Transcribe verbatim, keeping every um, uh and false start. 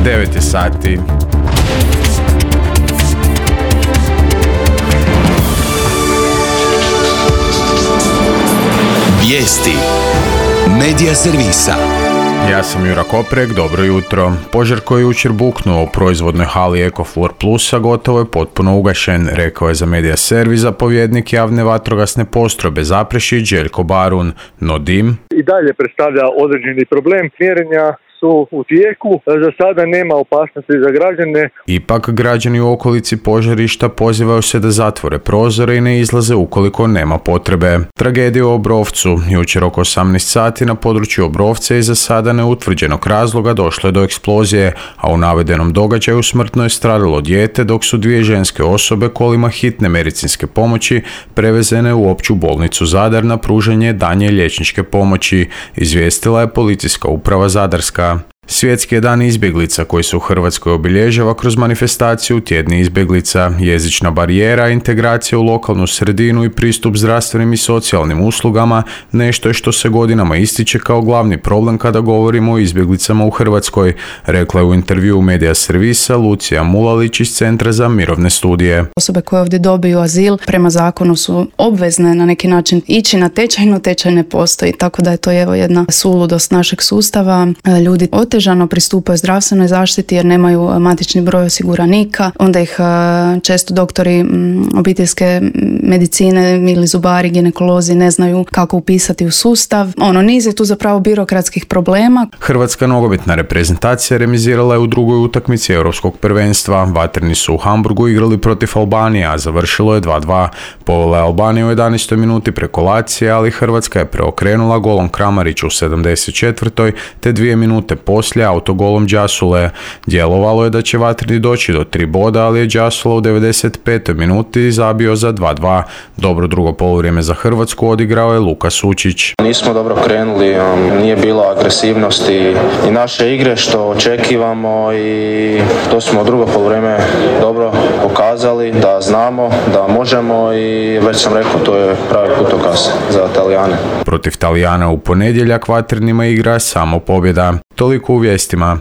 devet je sati. Vijesti Medija servisa. Ja sam Jura Koprek, dobro jutro. Požar koji je jučer buknuo u proizvodnoj hali Ecoflor Plusa gotovo je potpuno ugašen, rekao je za Medija servis zapovjednik javne vatrogasne postrojbe Zaprešić Željko Barun, no dim i dalje predstavlja određeni problem. Mjerenja su u tijeku, za sada nema opasnosti za građane. Ipak građani u okolici požarišta pozivaju se da zatvore prozore i ne izlaze ukoliko nema potrebe. Tragedija u Obrovcu. Jučer oko osamnaest sati na području Obrovca je za sada neutvrđenog razloga došlo je do eksplozije, a u navedenom događaju smrtno je stradalo dijete, dok su dvije ženske osobe kolima hitne medicinske pomoći prevezene u opću bolnicu Zadar na pružanje daljnje liječničke pomoći, izvijestila je policijska uprava Zadarska. Svjetski je dan izbjeglica koji se u Hrvatskoj obilježava kroz manifestaciju Tjedni izbjeglica, jezična barijera, integracija u lokalnu sredinu i pristup zdravstvenim i socijalnim uslugama nešto je što se godinama ističe kao glavni problem kada govorimo o izbjeglicama u Hrvatskoj, rekla je u intervjuu Medija servisa Lucija Mulalić iz Centra za mirovne studije. Osobe koje ovdje dobiju azil prema zakonu su obvezne na neki način ići na tečaj, no tečaj ne postoji, tako da je to evo jedna suludost našeg sustava. Ljudi otežano pristupaju zdravstvenoj zaštiti jer nemaju matični broj osiguranika, onda ih često doktori obiteljske medicine ili zubari, ginekolozi ne znaju kako upisati u sustav. Ono, niz je tu zapravo birokratskih problema. Hrvatska nogometna reprezentacija remizirala je u drugoj utakmici europskog prvenstva. Vatreni su u Hamburgu igrali protiv Albanije, a završilo je dva dva. Povela je Albanija u jedanaestoj minuti preko Lacija, ali Hrvatska je preokrenula golom Kramarića u sedamdeset četvrtoj te dvije minute poslije autogolom Đasule. Djelovalo je da će Vatreni doći do tri boda, ali je Đasula u devedeset petoj minuti zabio za dva dva. Dobro drugo poluvrijeme za Hrvatsku odigrao je Luka Sučić. Nismo dobro krenuli, nije bilo agresivnosti i naše igre što očekivamo i to smo drugo poluvrijeme dobro pokazali da znamo, da možemo i već sam rekao to je pravi putokaz za Talijane. Protiv Talijana u ponedjeljak Vatrenima igra samo pobjeda. Toliko u vijestima.